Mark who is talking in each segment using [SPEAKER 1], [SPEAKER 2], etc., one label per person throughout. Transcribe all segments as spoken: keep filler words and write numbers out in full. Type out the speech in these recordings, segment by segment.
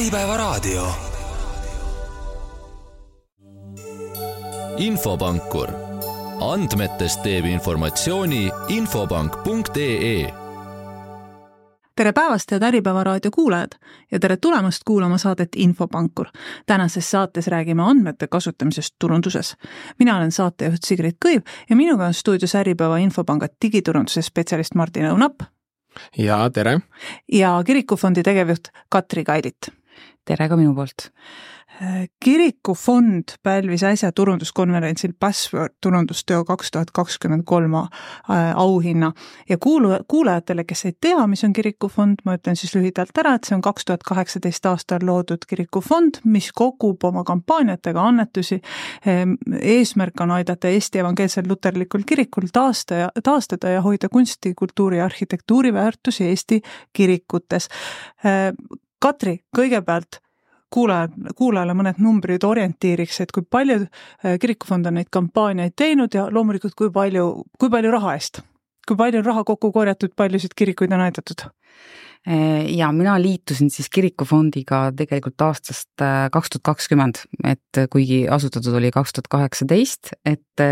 [SPEAKER 1] Äripäevaraadio. Infopankur. Andmetest teeb informatsiooni infopank punkt ee.
[SPEAKER 2] Tere päevast, head Äripäevaraadio kuulajad ja tere tulemast kuulama saadet Infopankur. Tänases saates räägime andmete kasutamisest turunduses. Mina olen saatejuht Sigrid Kõiv ja minuga on stuudios Äripäeva Infopanga digiturunduse spetsialist Martin Õunap.
[SPEAKER 3] Ja tere.
[SPEAKER 2] Ja Kirikufondi tegevjuht Katri Kailit.
[SPEAKER 4] Tere ka minu poolt.
[SPEAKER 2] Kirikufond pälvis äsja turunduskonverentsil Password turundusteo kaks tuhat kakskümmend kolm auhinna ja kuulajatele, kes ei tea, mis on Kirikufond, ma ütlen siis lühidalt ära, et see on kaks tuhat kaheksateist aastal loodud Kirikufond, mis kogub oma kampaaniatega annetusi. Eesmärk on aidata Eesti evangeelsel luterlikul kirikul taastada, taastada ja hoida kunsti, kultuuri ja arhitektuuri väärtusi Eesti kirikutes. Katri, kõigepealt Kuulajad, kuulajale mõned numbrid orientiiriks, et kui palju Kirikufond on neid kampaaniaid teinud ja loomulikult kui palju, kui palju raha eest, kui palju raha kokku korjatud, paljusid kirikuid on aidatud?
[SPEAKER 4] Ja mina liitusin siis Kirikufondiga tegelikult aastast kaks tuhat kakskümmend, et kuigi asutatud oli kaks tuhat kaheksateist, et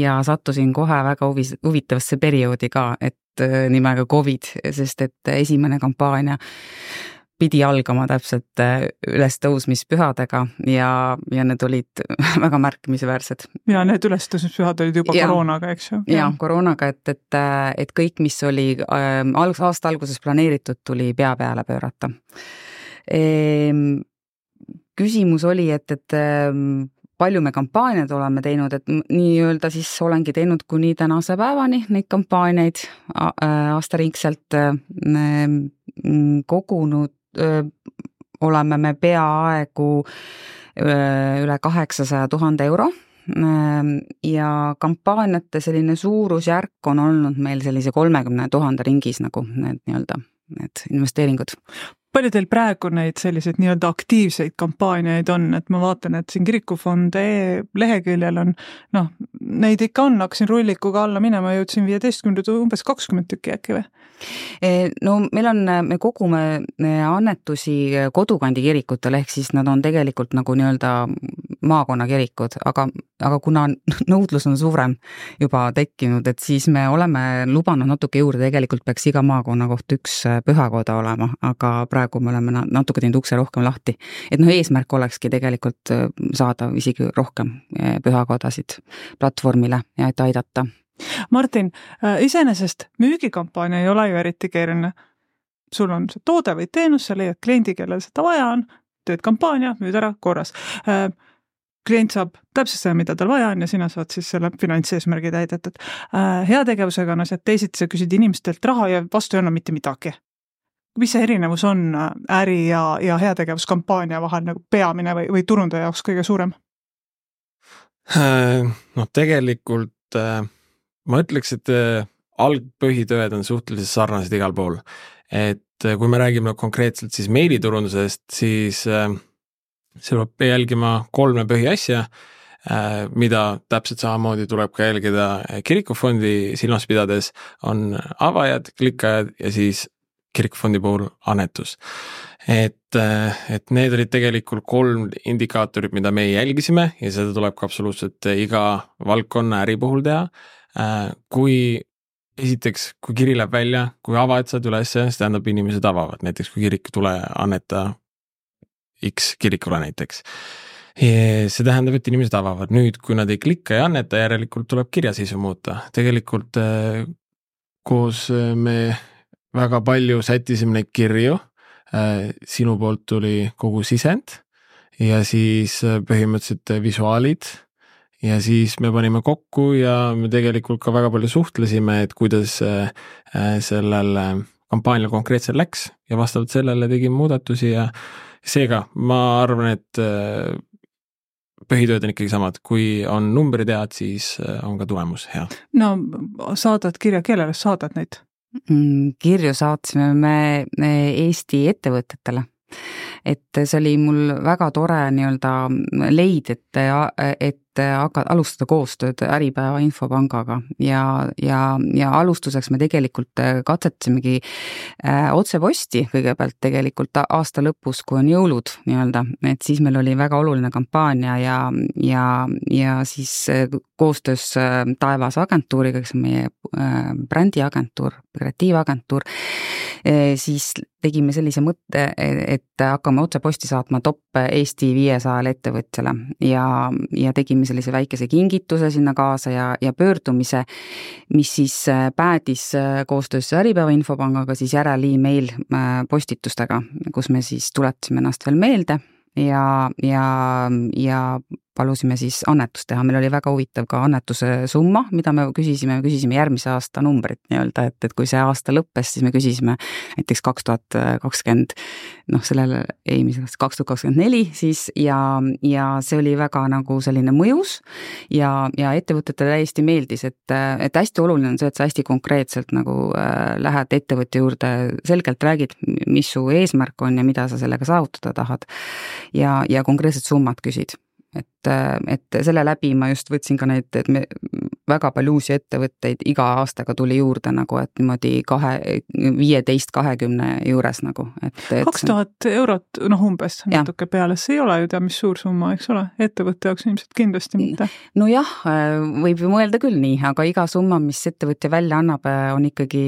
[SPEAKER 4] ja sattusin kohe väga huvitavasse perioodi ka, et nimega COVID, sest et esimene kampaania pidi algama täpselt ülestõusmispühadega ja, ja need olid väga märkimisväärsed.
[SPEAKER 2] Ja need ülestõusmispühad olid juba ja, koroonaga, eks ju?
[SPEAKER 4] Ja, koroonaga, et, et, et kõik, mis oli äh, aasta alguses planeeritud, tuli pea peale pöörata. E, küsimus oli, et, et palju me kampaaniad oleme teinud, et nii-öelda siis olengi teinud kuni tänase päevani neid kampaaniaid aastaringselt kogunud. Öö, oleme me peaaegu öö, üle kaheksasaja tuhande euro öö, ja kampaaniate selline suurusjärk on olnud meil sellise kolmekümne tuhande ringis nagu need, nii-öelda, need investeeringud.
[SPEAKER 2] Palju teil praegu neid selliseid nii-öelda aktiivseid kampaaniaid on, et ma vaatan, et siin Kirikufond leheküljel on, noh, neid ikka on, hakkasin rullikuga alla minema, jõudsin viieteistkümne umbes kakskümmend tükki äkki või?
[SPEAKER 4] No meil on, me kogume annetusi kodukandi kirikutele, ehk siis nad on tegelikult nagu nii-öelda maakonnakirikud, aga, aga kuna nõudlus on suurem juba tekkinud, et siis me oleme lubanud natuke juurde, tegelikult peaks iga maakonna kohta üks pühakoda olema, aga praegu me oleme natuke teinud ukse rohkem lahti. Et noh, eesmärk olekski tegelikult saada isegi rohkem pühakodasid platvormile ja et aidata.
[SPEAKER 2] Martin, iseenesest müügikampaania ei ole ju eriti keeruline. Sul on see toode või teenus, sa leiad kliendi, kellel seda vaja on, tööd kampaania, müüd ära korras. Klient saab täpselt seda, mida tal vaja on ja sina saad siis selle finantseesmärgi täidetud. Heategevusega on asjad, teisiti sa küsid inimestelt raha ja vastu ei anna mitte midagi. Mis see erinevus on äri ja, ja heategevuskampaania vahel nagu peamine või, või turundaja jaoks kõige suurem?
[SPEAKER 3] No tegelikult ma ütleks, et algpõhitööd on suhteliselt sarnased igal pool. Et kui me räägime konkreetselt siis meiliturundusest, siis see peab jälgima kolme põhiasja, mida täpselt samamoodi tuleb ka jälgida Kirikufondi silmas pidades, on avajad, klikkajad ja siis Kirikufondi puhul annetus. Et, et need olid tegelikult kolm indikaatorit, mida me jälgisime ja seda tuleb ka absoluutselt iga valdkonna äri puhul teha. Kui esiteks, kui kiri läheb välja, kui avajad saad üles, siis tähendab inimesed avavad. Näiteks kui kirik tule anneta X kirikule näiteks. Ja see tähendab, et inimesed avavad. Nüüd, kui nad ei klikka ja anneta, järelikult tuleb kirjaseisu muuta. Tegelikult koos me väga palju sättisime neid kirju. Sinu poolt tuli kogu sisend ja siis põhimõtteliselt visuaalid. Ja siis me panime kokku ja me tegelikult ka väga palju suhtlesime, et kuidas sellel kampaanial konkreetselt läks ja vastavalt sellele tegime muudatusi ja seega ma arvan, et põhitööd on ikkagi samad. Kui on numbrid head, siis on ka tulemus hea.
[SPEAKER 2] No saadad kirja, kellele saadad neid?
[SPEAKER 4] Kirju saatsime me Eesti ettevõtetele. Et see oli mul väga tore nii-öelda leid, et, et hakka, alustada koostööd Äripäeva Infopangaga ja, ja, ja alustuseks me tegelikult katsetsimegi äh, otseposti kõigepealt tegelikult aasta lõpus, kui on jõulud nii-öelda, et siis meil oli väga oluline kampaania ja, ja, ja siis koostöös Taevas agentuuriga, kes on meie äh, brändiagentuur, kreatiivagentuur, siis tegime sellise mõtte, et hakkame otseposti saatma top Eesti viiesajale ettevõtjale ja, ja tegime sellise väikese kingituse sinna kaasa ja, ja pöördumise, mis siis päädis koostöös Äripäeva Infopangaga siis järel e-mail postitustega, kus me siis tuletasime ennast veel meelde ja, ja, ja palusime siis annetust teha, meil oli väga huvitav ka annetuse summa, mida me küsisime, me küsisime järgmise aasta numbrit nii-öelda, et, et kui see aasta lõppes, siis me küsisime näiteks kaks tuhat kakskümmend, noh sellele eelmisest kaks tuhat kakskümmend neli siis ja, ja see oli väga nagu selline mõjus ja, ja ettevõtetele täiesti meeldis, et, et hästi oluline on see, et sa hästi konkreetselt nagu äh, lähed ettevõtte juurde, selgelt räägid, mis su eesmärk on ja mida sa sellega saavutada tahad ja, ja konkreetsed summad küsid. Et, et selle läbi ma just võtsin ka neid, et me väga palju uusi ettevõtteid iga aastaga tuli juurde nagu, et niimoodi kahe, viieteist, kahekümne juures nagu.
[SPEAKER 2] kaks tuhat eurot, noh umbes natuke peale, see ei ole ju tea, mis suur summa, eks ole, ettevõtte jaoks ilmselt kindlasti mitte.
[SPEAKER 4] No jah, võib ju mõelda küll nii, aga iga summa, mis ettevõtja välja annab, on ikkagi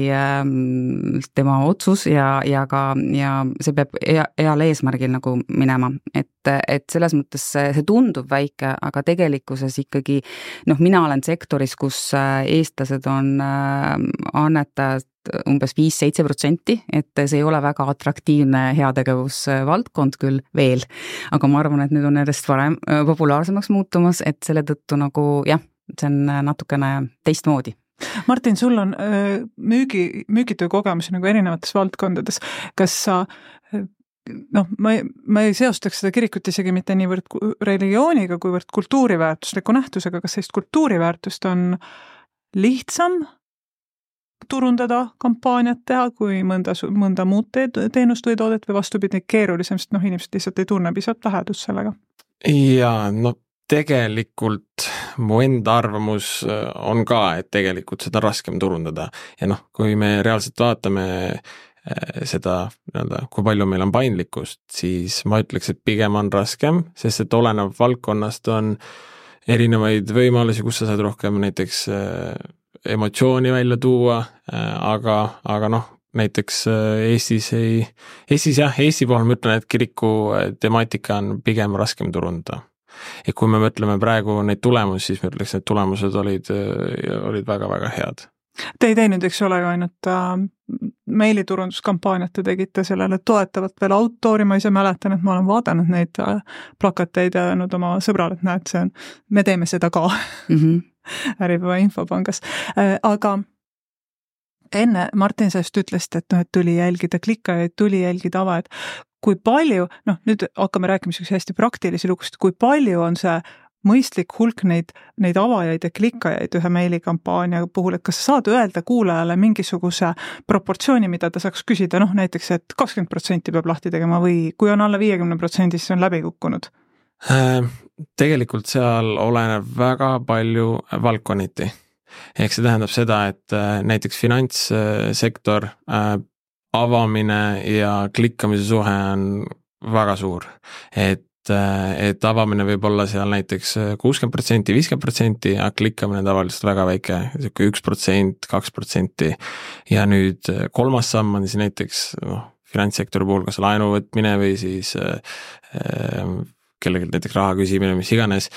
[SPEAKER 4] tema otsus ja, ja ka, ja see peab heal eesmärgil nagu minema, et, et selles mõttes see tundub väike, aga tegelikkuses ikkagi, noh, mina olen sektoris, kus eestlased on annetajad umbes viis-seitse protsenti, et see ei ole väga atraktiivne heategevusvaldkond küll veel, aga ma arvan, et nüüd on järjest varem populaarsemaks muutumas, et selle tõttu nagu jah, see on natukene teistmoodi.
[SPEAKER 2] Martin, sul on müügi, müügitöö kogemusi nagu erinevates valdkondades, kas sa noh, ma ei, ma ei seostaks seda kirikut isegi mitte niivõrd religiooniga, kuivõrd kultuuriväärtusliku nähtusega, kas sellist kultuuriväärtust on lihtsam turundada, kampaaniat teha, kui mõnda, mõnda muud teenust või toodet või vastupidi keerulisem, sest noh, inimesed lihtsalt ei tunne pisat lähedust sellega?
[SPEAKER 3] Jaa, no tegelikult mu enda arvamus on ka, et tegelikult seda raskem turundada ja noh, kui me reaalselt vaatame seda, kui palju meil on paindlikkust, siis ma ütleks, et pigem on raskem, sest et olenev valdkonnast on erinevaid võimalusi, kus sa saad rohkem näiteks emotsiooni välja tuua, aga, aga noh, näiteks Eestis ei, Eestis jah, Eesti puhul ma ütlen, et kiriku temaatika on pigem raskem turundada. Ja kui me mõtleme praegu neid tulemusi, siis ma ütleks, et tulemused olid, olid väga-väga head.
[SPEAKER 2] Te ei teinud, eks ole, ainult äh, meiliturunduskampaaniat te tegite sellele toetavat veel autoori, ma ise mäletan, et ma olen vaadanud neid äh, plakateid ja öelnud oma sõbrale, et näed, see on, me teeme seda ka mm -hmm. Äripäeva Infopangas äh,. Aga enne Martin sellest ütlesid, et, no, et tuli jälgida klikkajaid, tuli jälgida avajaid. Kui palju, noh nüüd hakkame rääkima hästi praktilisi lugust, kui palju on see mõistlik hulk neid, neid avajaid ja klikkajaid ühe meilikampaania puhul, et kas sa saad öelda kuulajale mingisuguse proportsiooni, mida ta saaks küsida, noh näiteks, et kakskümmend protsenti peab lahti tegema või kui on alla viiekümne protsendi, siis on läbi kukkunud?
[SPEAKER 3] Tegelikult seal oleneb väga palju valdkonniti. Ehk see tähendab seda, et näiteks finantssektor avamine ja klikkamise suhe on väga suur, et et avamine võib olla seal näiteks kuuskümmend protsenti, viiskümmend protsenti, aga klikkamine tavaliselt väga väike, üks protsent, kaks protsenti ja nüüd kolmas samm on siis näiteks no, finantssektori puhul kas laenu võtmine või siis äh, kellelgi näiteks raha küsimine, mis iganes,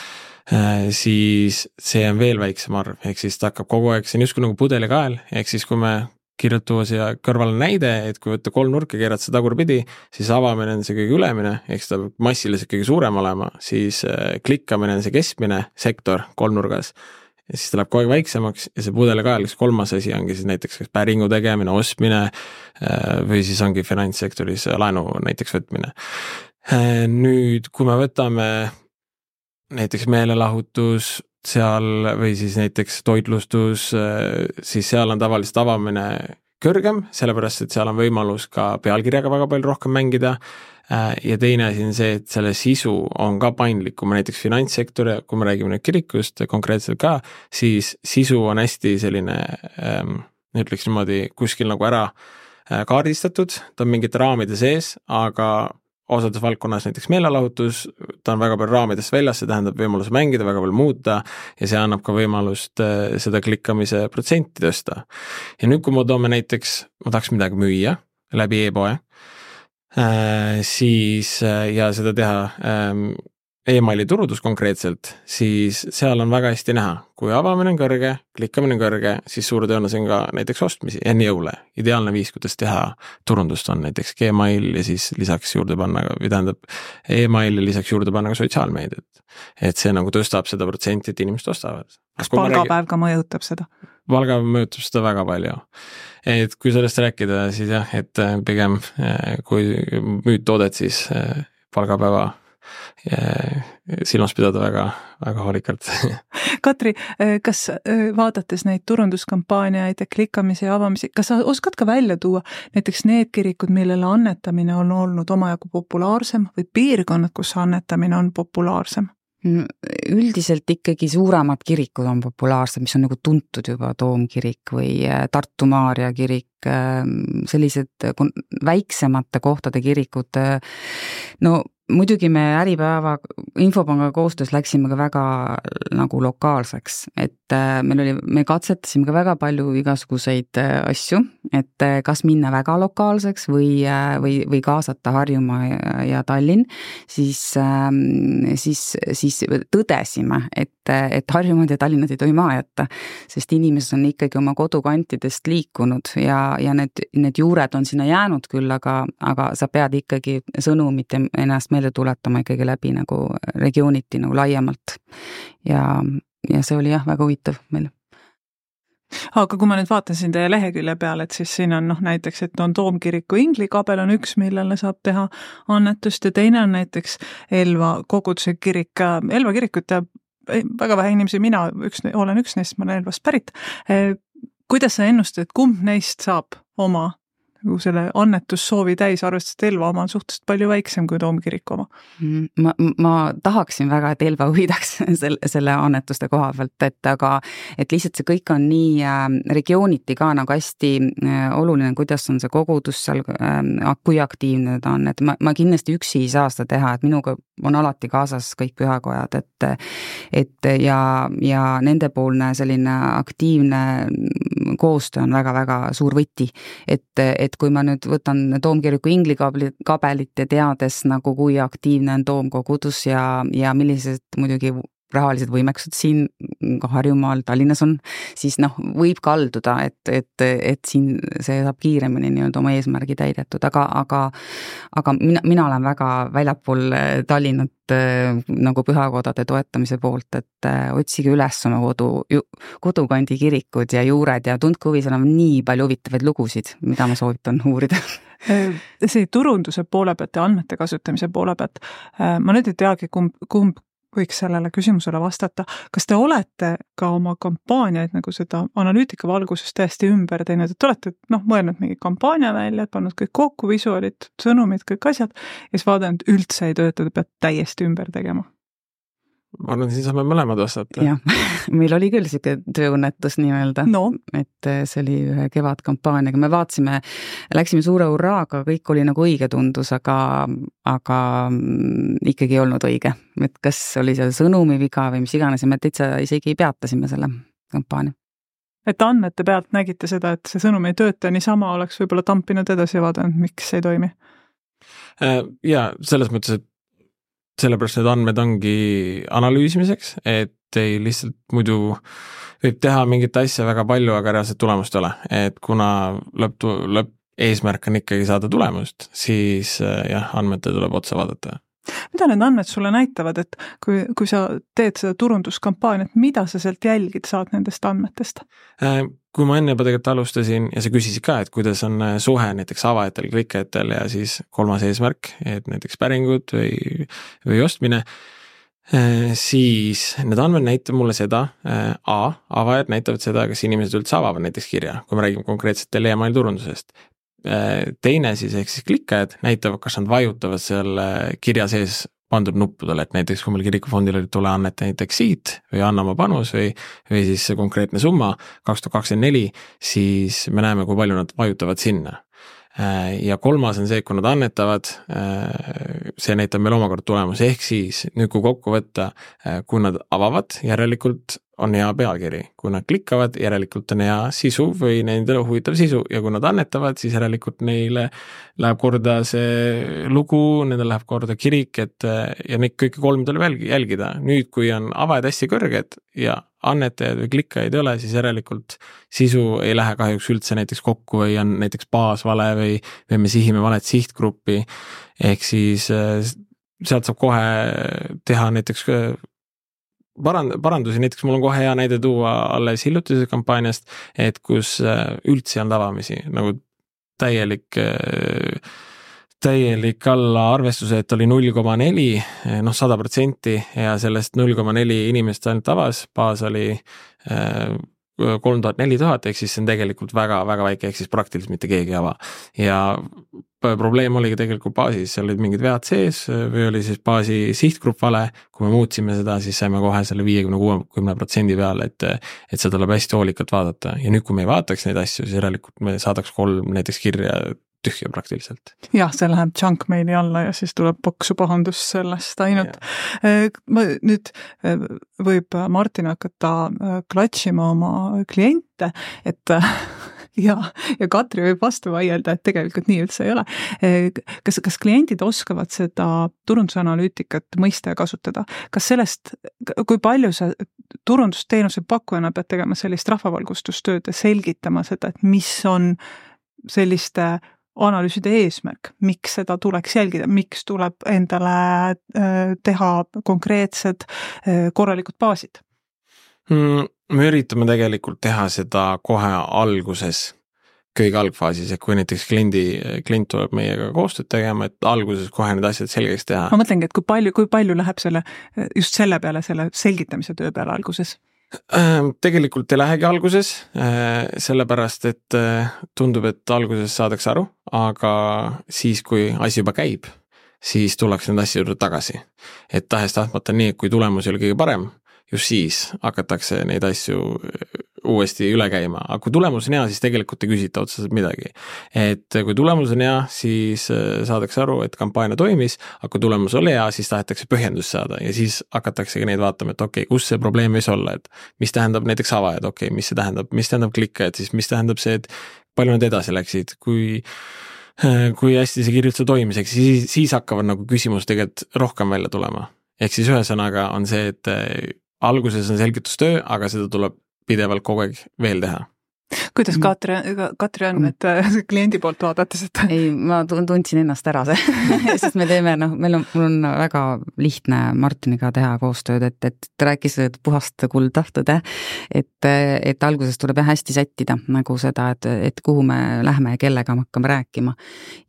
[SPEAKER 3] äh, siis see on veel väiksem arv, ehk siis ta hakkab kogu aeg, see on justkui nagu pudelikael, ehk siis kui me kirjutuva siia kõrvale näide, et kui võtta kolm nurka, keerad see tagurpidi, siis avamine on see kõige ülemine, ehk seda massiliselt kõige suurem olema, siis klikkamine on see keskmine sektor kolmnurgas ja siis ta läheb kogu aeg väiksemaks ja see pudelikael, kas kolmas asi ongi siis näiteks kas päringu tegemine, ostmine või siis ongi finantssektoris laenu näiteks võtmine. Nüüd, kui me võtame näiteks meelelahutus seal või siis näiteks toitlustus, siis seal on tavaliselt avamine kõrgem, sellepärast et seal on võimalus ka pealkirjaga väga palju rohkem mängida ja teine asi on see, et selle sisu on ka paindlikum, näiteks finantssektor ja kui me räägime nüüd kirikust konkreetselt ka, siis sisu on hästi selline, ütleks niimoodi, kuskil nagu ära kaardistatud, ta on mingite raamide sees, aga osades valdkonnas näiteks meelelahutus, ta on väga palju raamidest väljas, see tähendab võimalus mängida, väga palju muuta ja see annab ka võimalust seda klikkamise protsenti tõsta. Ja nüüd, kui me toome näiteks, ma tahaks midagi müüa läbi e-poe, siis ja seda teha e-maili turundus konkreetselt, siis seal on väga hästi näha, kui avamine on kõrge, klikkamine on kõrge, siis suure tõenäosus on ka näiteks ostmisi enne jõule. Ideaalne viis, kuidas teha turundust on näiteks Gmail ja siis lisaks juurde panna, või tähendab e-mail ja lisaks juurde panna ka sotsiaalmeediat. Et see nagu tõstab seda protsenti, et inimesed ostavad.
[SPEAKER 2] Kas palgapäev ka mõjutab seda?
[SPEAKER 3] Palgapäev mõjutab seda väga palju. Et kui sellest rääkida, siis jah, et pigem kui müüd toodet, siis palgapäeva silmas pidada väga, väga hoolikalt.
[SPEAKER 2] Katri, kas vaadates neid turunduskampaaniaid ja klikkamisi ja avamisi, kas sa oskad ka välja tuua näiteks need kirikud, millele annetamine on olnud omajagu populaarsem või piirkonnad, kus annetamine on populaarsem?
[SPEAKER 4] Üldiselt ikkagi suuremad kirikud on populaarsed, mis on nagu tuntud juba Toomkirik või Tartu Maarja kirik, sellised väiksemate kohtade kirikud, no muidugi me Äripäeva Infopanga koostöös läksime ka väga nagu lokaalseks, et meil oli, me katsetasime ka väga palju igasuguseid asju, et kas minna väga lokaalseks või, või, või kaasata Harjumaa ja, ja Tallinn, siis, siis, siis tõdesime, et, et Harjumaad ja Tallinnad ei tohi maha jätta, sest inimesed on ikkagi oma kodukantidest liikunud ja, ja need, need juured on sinna jäänud küll, aga, aga sa pead ikkagi sõnumit ennast meelde tuletama ikkagi läbi nagu regiooniti nagu laiemalt ja, ja see oli jah, väga huvitav meil.
[SPEAKER 2] Aga kui ma nüüd vaatasin teie lehekülje peale, et siis siin on noh näiteks, et on Toomkiriku inglikabel on üks, millele saab teha annetust ja teine on näiteks Elva koguduse kirik. Elva kirikut teab väga vähe inimesi, mina üks, olen üks neist, ma olen Elvast pärit. Kuidas sa ennustad, kumb neist saab oma selle annetussoovi täis, arvestades Elva oma on suhteliselt palju väiksem kui Toomkiriku oma?
[SPEAKER 4] Ma, ma tahaksin väga, et Elva võidaks selle, selle annetuste koha pealt, et aga et lihtsalt see kõik on nii äh, regiooniti ka nagu hästi äh, oluline, kuidas on see kogudus seal, äh, kui aktiivne ta on, et ma, ma kindlasti üksi ei saa seda teha, et minuga on alati kaasas kõik pühakojad, et, et ja, ja nendepoolne selline aktiivne koostöö on väga-väga suur võti, et, et kui ma nüüd võtan Toomkiriku inglikabelit ja teades nagu kui aktiivne on Toomkogudus ja, ja millised muidugi rahalised võimekused siin ka Harjumaal, Tallinnas on, siis noh, võib kalduda, et, et, et siin see saab kiiremini nii-öelda oma eesmärgi täidetud, aga, aga, aga mina, mina olen väga väljapool Tallinnat nagu pühakodade toetamise poolt, et otsige üles oma kodu, kodukandi kirikud ja juured ja tundke huvi, seal on nii palju huvitavaid lugusid, mida ma soovitan uurida.
[SPEAKER 2] See turunduse poole pealt ja andmete kasutamise poole pealt, ma nüüd ei teagi, kumb, kumb võiks sellele küsimusele vastata. Kas te olete ka oma kampaaniaid nagu seda analüütika valguses täiesti ümber teinud, et olete noh, mõelnud mingi kampaania välja, pannud kõik kokku, visuaalid, sõnumid, kõik asjad ja siis vaadanud üldse ei tööta, te pead täiesti ümber tegema?
[SPEAKER 3] Ma arvan, siin saame mõlemad vastata.
[SPEAKER 4] Jah, meil oli küll siuke tööõnnetus nii-öelda,
[SPEAKER 2] no.
[SPEAKER 4] Et see oli ühe kevadkampaaniaga, me vaatsime, läksime suure hurraaga, kõik oli nagu õige tundus, aga, aga ikkagi ei olnud õige. Et kas oli see sõnumi viga või mis iganes ja me täitsa isegi peatasime selle kampaania.
[SPEAKER 2] Et andmete pealt nägite seda, et see sõnum ei tööta, niisama oleks võib-olla tampinud edasi ja vaadanud, miks ei toimi?
[SPEAKER 3] Ja selles mõttes, et sellepärast need andmed ongi analüüsimiseks, et ei lihtsalt muidu võib teha mingit asja väga palju, aga reaalselt tulemust ei ole. Et kuna lõpp, lõpp eesmärk on ikkagi saada tulemust, siis jah, andmete tuleb otsa vaadata.
[SPEAKER 2] Mida need andmed sulle näitavad, et kui, kui sa teed seda turunduskampaaniat, mida sa sealt jälgid saad nendest andmetest?
[SPEAKER 3] Kui ma enne juba tegelikult alustasin ja sa küsisid ka, et kuidas on suhe näiteks avajatel, klikkajatel ja siis kolmas eesmärk, et näiteks päringud või, või ostmine, siis need andmed näitab mulle seda, A, avajad näitavad seda, kas inimesed üldse avavad näiteks kirja, kui me räägime konkreetselt emaili turundusest. Teine siis, ehk siis klikkajad näitavad, kas nad vajutavad selle kirja sees pandud nuppudele, et näiteks kui meil kirikufondil oli tule anneta näiteks siit või anna oma panus või, või siis see konkreetne summa kaks tuhat kakskümmend neli, siis me näeme, kui palju nad vajutavad sinna. Ja kolmas on see, kui nad annetavad, see näitab meil omakorda tulemus, ehk siis nüüd kui kokku võtta, kui nad avavad, järelikult on hea pealkiri, kui nad klikkavad, järelikult on hea sisu või nendele huvitav sisu ja kui nad annetavad, siis järelikult neile läheb korda see lugu, nendele läheb korda kirik, et ja neid kõike kolm tuleb jälgida. Nüüd, kui on avajad hästi kõrged ja annetajad või klikkajaid ei ole, siis järelikult sisu ei lähe kahjuks üldse näiteks kokku või on näiteks baasvale või, või me sihime valet sihtgruppi, ehk siis sealt saab kohe teha näiteks parand, parandusi, näiteks mul on kohe hea näide tuua alles hiljutise kampaaniast, et kus üldse ei olnud avamisi, nagu täielik täielik alla arvestuse, et oli null koma neli, noh sada protsenti ja sellest null koma neli inimest ainult avas, baas oli kolm tuhat neli tuhat, ehk siis see on tegelikult väga, väga väike, ehk siis praktiliselt mitte keegi ava. Ja probleem oligi tegelikult baasis, seal olid mingid vead sees või oli siis baasi sihtgrupp vale, kui me muutsime seda, siis saime kohe selle viiekümne kuuekümne protsendi peale, et, et seda tuleb hästi hoolikalt vaadata ja nüüd, kui me ei vaataks neid asju, siis järelikult me saadaks kolm näiteks kirja tühja praktiliselt.
[SPEAKER 2] Jah, see läheb junk maili alla ja siis tuleb paksu pahandus sellest ainult. Ma nüüd võib Martin hakata klatšima oma kliente, et ja, ja Katri võib vastu vaielda, et tegelikult nii üldse ei ole. Kas, kas kliendid oskavad seda turundusanalüütikat mõista ja kasutada? Kas sellest, kui palju sa turundusteenuse pakkujana pead tegema sellist rahvavalgustustööd ja selgitama seda, et mis on selliste analüüside eesmärk, miks seda tuleks jälgida, miks tuleb endale teha konkreetsed korralikud baasid?
[SPEAKER 3] Me üritame tegelikult teha seda kohe alguses, kõige algfaasis, et kui näiteks kliendi, klient tuleb meiega koostööd tegema, et alguses kohe need asjad selgeks teha.
[SPEAKER 2] Ma mõtlengi, et kui palju, kui palju läheb selle, just selle peale, selle selgitamise töö peale alguses?
[SPEAKER 3] Tegelikult ei lähegi alguses, sellepärast, et tundub, et alguses saadakse aru, aga siis, kui asi juba käib, siis tuleks need asja juurde tagasi. Et tahes tahtmata nii, et kui tulemus oli kõige parem, just siis hakatakse neid asju uuesti üle käima, aga kui tulemus on hea, siis tegelikult ei küsita otseselt midagi. Et kui tulemus on hea, siis saadakse aru, et kampaania toimis, aga kui tulemus oli hea, siis tahetakse põhjendust saada ja siis hakatakse neid vaatama, et okei, okay, kus see probleem võis olla, et mis tähendab näiteks avajad, okei, okay, mis see tähendab, mis tähendab klikkajad, siis mis tähendab see, et palju nad edasi läksid, kui kui hästi see kirjutus toimis, siis, siis hakkavad nagu küsimus tegelikult rohkem välja tulema. Ehk siis ühesõnaga on see, et alguses on selgitustöö, aga seda tuleb pidevalt kogu aeg veel teha.
[SPEAKER 2] Kuidas Katri, Katri on, et kliendi poolt vaadates, et...
[SPEAKER 4] Ei, ma tundsin ennast ära see, sest me teeme, noh, meil on, mul on väga lihtne Martiniga teha koostööd, et, et ta rääkis puhast kulda, tõde, et, et alguses tuleb hästi sättida nagu seda, et, et kuhu me lähme ja kellega me hakkame rääkima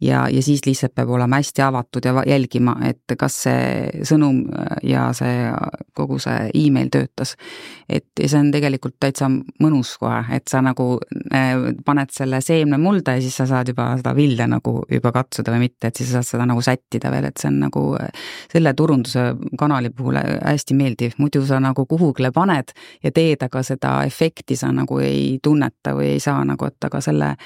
[SPEAKER 4] ja, ja siis lihtsalt peab olema hästi avatud ja jälgima, et kas see sõnum ja see kogu see e-mail töötas. Et see on tegelikult täitsa mõnus kohe, et sa nagu paned selle seemne mulda ja siis sa saad juba seda vilja nagu juba katsuda või mitte, et siis sa saad seda nagu sättida veel, et see on nagu selle turunduse kanali puhul hästi meeldiv, muidu sa nagu kuhugile paned ja teed, aga seda efekti sa nagu ei tunneta või ei saa nagu, et aga selle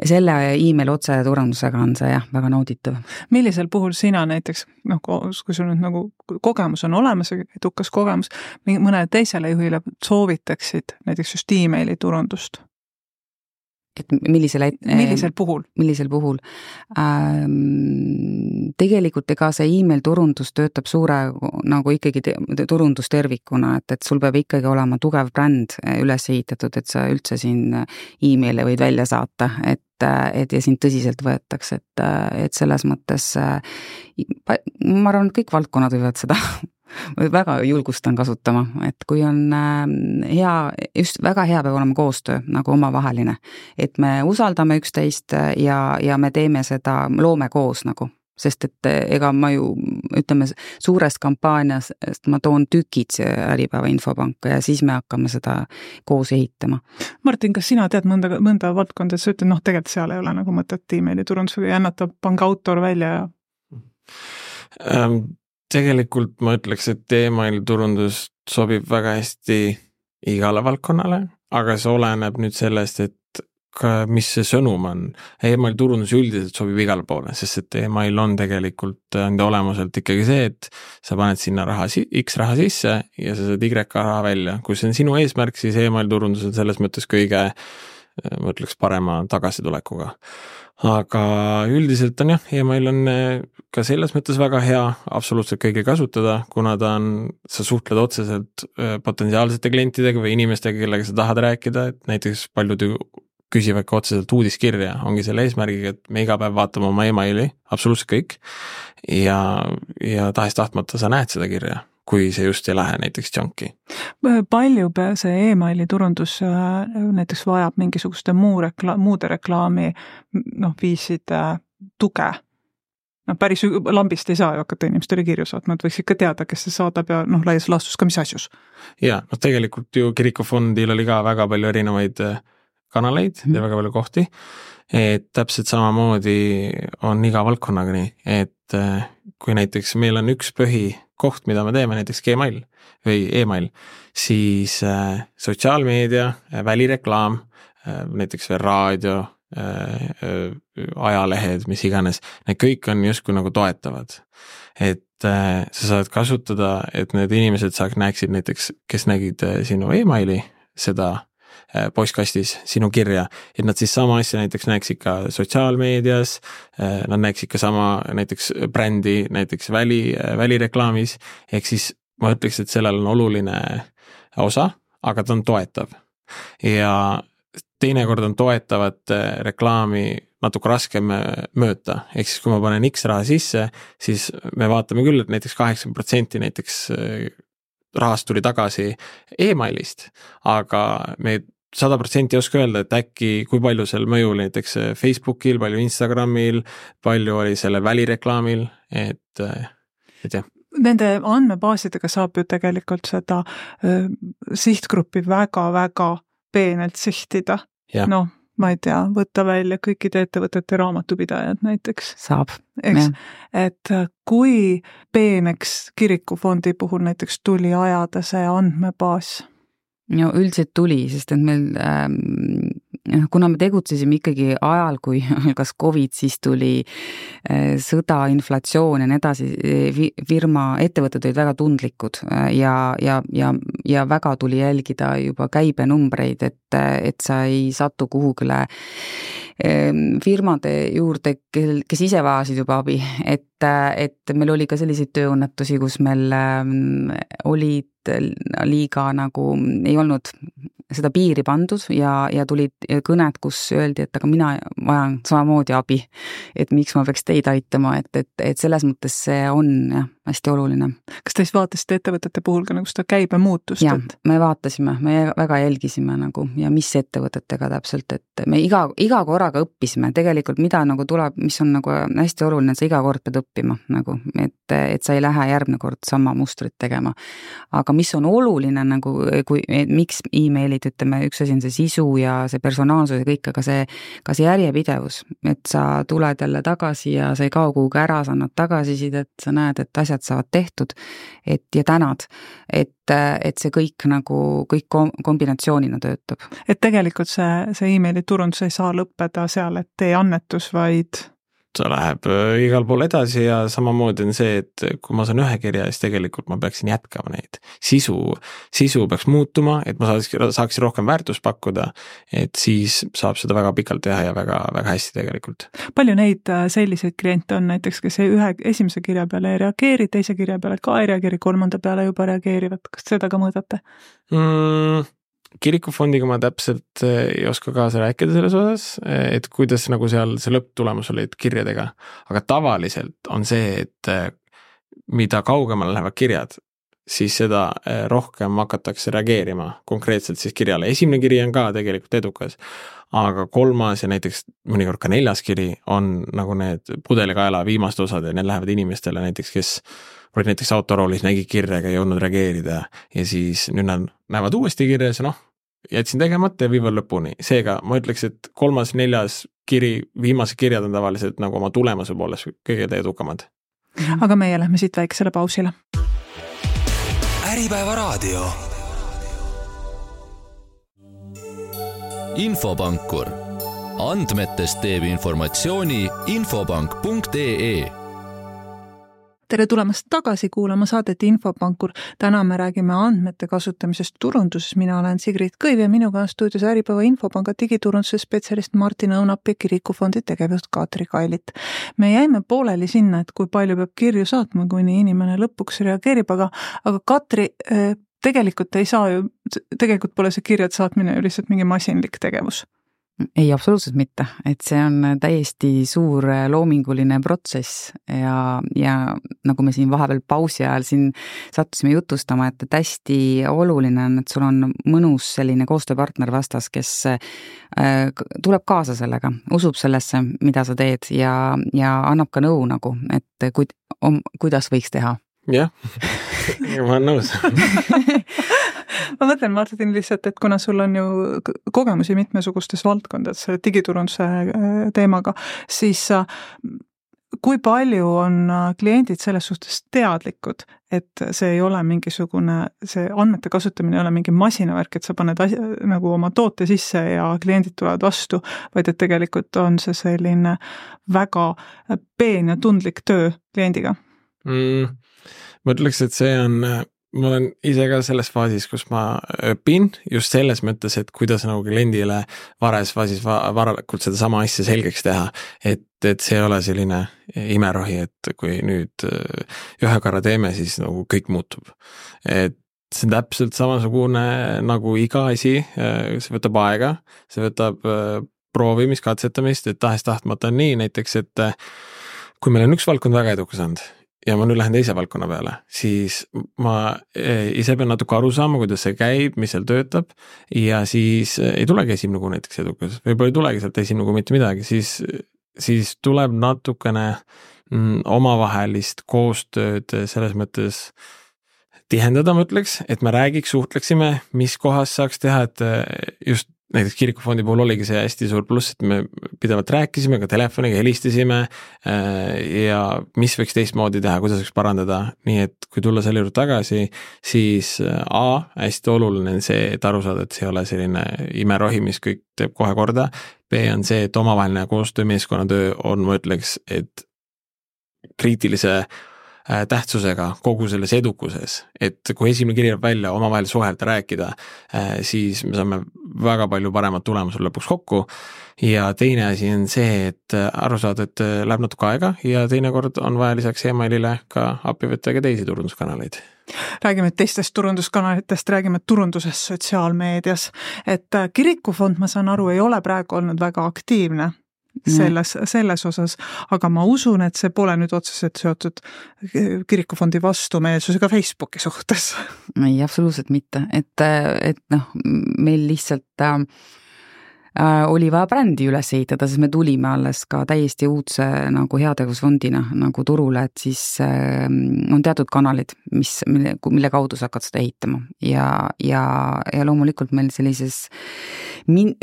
[SPEAKER 4] selle e-mail otse turundusega on see jah, väga nauditav.
[SPEAKER 2] Millisel puhul sina näiteks, noh, kui sul nüüd nagu kogemus on olemas, edukas kogemus, mõnele teisele juhile soovitaksid näiteks just e-maili turundust?
[SPEAKER 4] Et millisel,
[SPEAKER 2] millisel puhul?
[SPEAKER 4] Millisel puhul? Ähm, tegelikult ega see e-mail turundus töötab suure nagu ikkagi turundus tervikuna, et, et sul peab ikkagi olema tugev bränd üles ehitatud, et sa üldse siin e-maili võid välja saata, et, et ja sind tõsiselt võetakse, et, et selles mõttes ma arvan, et kõik valdkonnad võivad seda väga julgustan kasutama, et kui on hea, just väga hea peab olema koostöö nagu omavaheline, et me usaldame üksteist ja, ja me teeme seda, loome koos nagu. sest et ega ma ju, ütleme, suurest kampaaniast ma toon tükid Äripäeva infopanka ja siis me hakkame seda koos ehitama.
[SPEAKER 2] Martin, kas sina tead mõnda, mõnda valdkonda, sa ütled, noh, tegelikult seal ei ole nagu mõtet emaili turundusega jännata panga autor välja ja
[SPEAKER 3] ähm, tegelikult ma ütleks, et emaili turundus sobib väga hästi igale valdkonnale, aga see oleneb nüüd sellest, et ka mis see sõnum on. Email turundus üldiselt sobib igale poole, sest et email on tegelikult enda olemuselt ikkagi see, et sa paned sinna raha, X raha sisse ja sa saad Y raha välja. Kui see on sinu eesmärk, siis email turundus on selles mõttes kõige, ma ütleks, parema tagasitulekuga. Aga üldiselt on jah, email on ka selles mõttes väga hea absoluutselt kõige kasutada, kuna ta on, sa suhtled otseselt potentsiaalsete klientidega või inimestega, kellega sa tahad rääkida, et näiteks paljud küsivad ka otseselt uudiskirja, ongi selle eesmärgiga, et me iga päev vaatame oma emaili, absoluutselt kõik, ja, ja tahes tahtmata sa näed seda kirja, kui see just ei lähe näiteks junki.
[SPEAKER 2] Palju see emaili turundus näiteks vajab mingisuguste muu rekla- muude reklaami noh, viiside tuge? No, päris lambist ei saa ju hakata inimestele kirju saatma, et võiks ikka teada, kes see saadab ja noh, laias laastus ka mis asjus.
[SPEAKER 3] Ja, no tegelikult ju kirikufondil oli ka väga palju erinevaid kanaleid ja väga palju kohti, et täpselt samamoodi on iga valdkonnaga nii, et kui näiteks meil on üks põhi koht, mida me teeme, näiteks Gmail või email, siis sotsiaalmeedia, välireklaam, näiteks veel raadio, ajalehed, mis iganes, need kõik on justkui nagu toetavad. Et sa saad kasutada, et need inimesed saaks näeksid näiteks, kes nägid sinu emaili, seda postkastis sinu kirja, et nad siis sama asja näiteks näeksid ka sotsiaalmeedias, nad näeksid ka sama näiteks brändi, näiteks väli, välireklaamis, ehk siis ma ütleks, et sellel on oluline osa, aga ta on toetav. Ja teinekord on toetavat reklaami natuke raskem mööta, ehk siis kui ma panen X raha sisse, siis me vaatame küll, et näiteks kaheksakümmend protsenti näiteks rahast tuli tagasi emailist, aga me sada protsenti ei oska öelda, et äkki kui palju seal mõju näiteks Facebookil, palju Instagramil, palju oli sellel välireklaamil, et, et jah.
[SPEAKER 2] Nende andmebaasidega saab ju tegelikult seda äh, sihtgruppi väga-väga peenelt sihtida. Noh, ma ei tea, võtta välja kõikide ettevõtete raamatupidajad näiteks.
[SPEAKER 4] Saab.
[SPEAKER 2] Eks, et kui peeneks kirikufondi puhul näiteks tuli ajada see andmebaas?
[SPEAKER 4] No üldiselt tuli, sest et meil, ähm, kuna me tegutsesime ikkagi ajal, kui kas Covid, siis tuli äh, sõda, inflatsioon ja nii edasi, firma, ettevõtted olid väga tundlikud ja, ja, ja, ja väga tuli jälgida juba käibenumbreid, et, et sa ei satu kuhugile äh, firmade juurde, kes ise vajasid juba abi, et, et meil oli ka selliseid tööõnnetusi, kus meil äh, olid liiga nagu ei olnud seda piiri pandud ja, ja tulid kõned, kus öeldi, et aga mina vajan samamoodi abi, et miks ma peaks teid aitama, et, et, et selles mõttes see on jah, hästi oluline.
[SPEAKER 2] Kas te siis vaatasite ettevõtete puhul ka nagu seda käibe muutust?
[SPEAKER 4] Jah,
[SPEAKER 2] et...
[SPEAKER 4] me vaatasime, me väga jälgisime nagu ja mis ettevõtetega täpselt, et me iga, iga korraga õppisime tegelikult, mida nagu tuleb, mis on nagu hästi oluline, et sa iga kord pead õppima nagu, et, et sa ei lähe järgmine kord sama mustrit tegema. Aga mis on oluline nagu, kui, miks e-mailid, ütleme, üks asi on see sisu ja see personaalsus ja kõik, aga see, ka see järjepidevus, et sa tuled jälle tagasi ja sa ei kao kuhugi ära, sa annad tagasisidet, sa näed, et asjad saavad tehtud, et ja tänad, et, et see kõik nagu, kõik kombinatsioonina töötab.
[SPEAKER 2] Et tegelikult see, see e-maili turundus ei saa lõppeda seal, et tee annetus, vaid...
[SPEAKER 3] Ta läheb igal pool edasi ja samamoodi on see, et kui ma saan ühe kirja, siis tegelikult ma peaksin jätkama neid. Sisu, sisu peaks muutuma, et ma saaks, saaks rohkem väärtust pakkuda, et siis saab seda väga pikalt teha ja väga, väga hästi tegelikult.
[SPEAKER 2] Palju neid selliseid kliente on näiteks, kes ühe esimese kirja peale ei reageeri, teise kirja peale ka ei reageeri, kolmanda peale juba reageerivad. Kas seda ka mõõdate?
[SPEAKER 3] Mm. Kirikufondiga ma täpselt ei oska kaasa rääkida selles osas, et kuidas nagu seal see lõpptulemus olid kirjadega, aga tavaliselt on see, et mida kaugemale lähevad kirjad, siis seda rohkem hakatakse reageerima konkreetselt siis kirjale. Esimene kiri on ka tegelikult edukas, aga kolmas ja näiteks mõnikord ka neljas kiri on nagu need pudelikaela viimast osad ja need lähevad inimestele näiteks, kes olid näiteks autoroolis, nägi kirja ega ei jõudnud reageerida ja siis nüüd nad näevad uuesti kirja ja noh, jätsin tegemata ja viivad lõpuni. Seega ma ütleks, et kolmas, neljas kiri, viimased kirjad on tavaliselt nagu oma tulemuse poolest kõige edukamad.
[SPEAKER 2] Aga meie lähme siit väikesele pausile.
[SPEAKER 1] Äripäeva raadio. Infopankur. Andmetest teeb informatsiooni infopank punkt ee.
[SPEAKER 2] Tere tulemast tagasi kuulama saadet Infopankur. Täna me räägime andmete kasutamisest turunduses. Mina olen Sigrid Kõiv ja minuga on stuudios Äripäeva Infopanga digiturunduse spetsialist Martin Õunap ja Kirikufondi tegevjuht Katri Kailit. Me jäime pooleli sinna, et kui palju peab kirju saatma, kuni inimene lõpuks reageerib, aga, aga Katri, tegelikult ei saa ju, tegelikult pole see kirjad saatmine ju lihtsalt mingi masinlik tegevus.
[SPEAKER 4] Ei, absoluutselt mitte, et see on täiesti suur loominguline protsess ja, ja nagu me siin vahepeal pausi ajal siin sattusime jutustama, et hästi oluline on, et sul on mõnus selline koostööpartner vastas, kes tuleb kaasa sellega, usub sellesse, mida sa teed ja, ja annab ka nõu nagu, et ku, om, kuidas võiks teha.
[SPEAKER 3] Jah, ma olen nõus.
[SPEAKER 2] Ma mõtlen, Martin, lihtsalt, et kuna sul on ju kogemusi mitmesugustes valdkondades digiturunduse teemaga, siis kui palju on kliendid selles suhtes teadlikud, et see ei ole mingisugune, see andmete kasutamine ei ole mingi masinavärk, et sa paned asja, nagu oma toote sisse ja kliendid tulevad vastu, vaid et tegelikult on see selline väga peen ja tundlik töö kliendiga?
[SPEAKER 3] Mm, ma ütleks, et see on... Ma olen ise ka selles faasis, kus ma õpin just selles mõttes, et kuidas nagu kliendile vares faasis varakult seda sama asja selgeks teha, et, et see ei ole selline imerohi, et kui nüüd ühe korra teeme, siis nagu kõik muutub. Et see on täpselt samasugune nagu iga asi, see võtab aega, see võtab proovimist, katsetamist, et tahes tahtmata on nii näiteks, et kui meil on üks valdkond väga edukas olnud, ja ma nüüd lähen teise valdkonna peale, siis ma ise pean natuke aru saama, kuidas see käib, mis seal töötab ja siis ei tulegi esimene kuu näiteks edukas, võib-olla ei tulegi sealt esimene kuu mitte midagi, siis, siis tuleb natukene mm, omavahelist koostööd selles mõttes tihendada, ma ütleks, et me räägiks, suhtleksime, mis kohas saaks teha, et just näiteks Kirikufondi puhul oligi see hästi suur pluss, et me pidevalt rääkisime, ka telefoniga helistasime ja mis võiks teistmoodi teha, kuidas võiks parandada, nii et kui tulla selle juurde tagasi, siis A, hästi oluline on see, et aru saada, et see ei ole selline imerohi, mis kõik teeb kohe korda, B on see, et omavaheline koostöö meeskonnatöö on, ma ütleks, et kriitilise tähtsusega kogu selles edukuses, et kui esimene kirjab välja omavahel suhelda, rääkida, siis me saame väga palju paremat tulemusel lõpuks kokku ja teine asi on see, et aru saada, et läheb natuke aega ja teinekord on vaja lisaks emailile ka appi võtta ka teisi turunduskanaleid.
[SPEAKER 2] Räägime teistest turunduskanalitest, räägime turundusest sotsiaalmeedias, et Kirikufond, ma saan aru, ei ole praegu olnud väga aktiivne selles, selles osas, aga ma usun, et see pole nüüd otseselt seotud Kirikufondi vastumeelsusega Facebooki suhtes.
[SPEAKER 4] Ei, absoluutselt mitte, et, et noh, meil lihtsalt äh, oli vaja brändi üles ehitada, sest me tulime alles ka täiesti uudse nagu heategevusfondina nagu turule, et siis äh, on teatud kanalid, mis, mille, mille kaudu sa hakkad seda ehitama ja, ja, ja loomulikult meil sellises Min,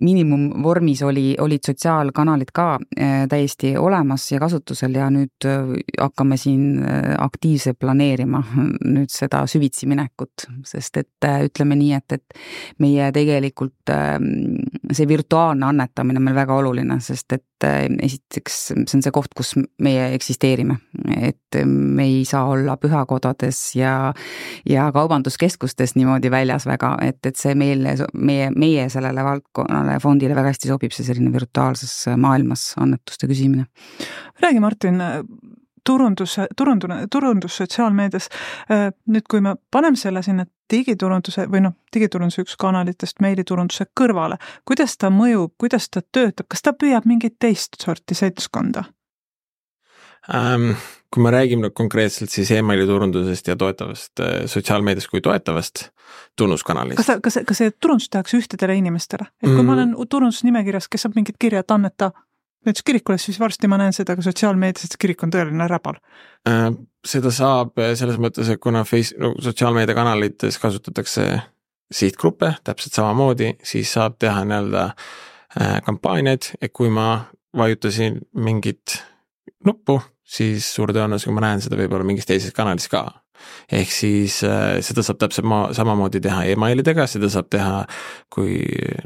[SPEAKER 4] miinimumvormis oli, olid sotsiaalkanalid ka täiesti olemas ja kasutusel ja nüüd hakkame siin aktiivselt planeerima nüüd seda süvitsi minekut, sest et ütleme nii, et, et meie tegelikult see virtuaalne annetamine on meil väga oluline, sest et esiteks see on see koht, kus meie eksisteerime, et me ei saa olla pühakodades ja, ja kaubanduskeskustes niimoodi väljas väga, et, et see meile, meie, meie sellele valdkonnale fondile väga hästi sobib see selline virtuaalses maailmas annetuste küsimine.
[SPEAKER 2] Räägi, Martin, turundus, turundus, turundus sotsiaalmeedias, nüüd kui me paneme selle sinna digiturunduse või noh, digiturunduse üks kanalitest meiliturunduse kõrvale, kuidas ta mõjub, kuidas ta töötab, kas ta püüab mingit teist sorti seltskonda?
[SPEAKER 3] ähm,. Kui me räägime konkreetselt siis emaili turundusest ja toetavast sotsiaalmeediast kui toetavast tunnuskanalist.
[SPEAKER 2] Kas, kas, kas see turundus tehakse ühtedele inimestele? Et kui mm. ma olen turundusnimekirjas, kes saab mingit kirja, et anneta näiteks kirikule, siis varsti ma näen seda ka sotsiaalmeedias, et kirik on tõeline räbal.
[SPEAKER 3] Äh, seda saab selles mõttes, et kuna face, no, sotsiaalmeedia kanalites kasutatakse sihtgruppe täpselt samamoodi, siis saab teha nii-öelda äh, kampaaniaid, et kui ma vajutasin mingit nuppu, siis suure tõenäosusega ma näen seda võib-olla mingis teises kanalis ka. Ehk siis äh, seda saab täpselt ma, samamoodi teha emailidega, seda saab teha, kui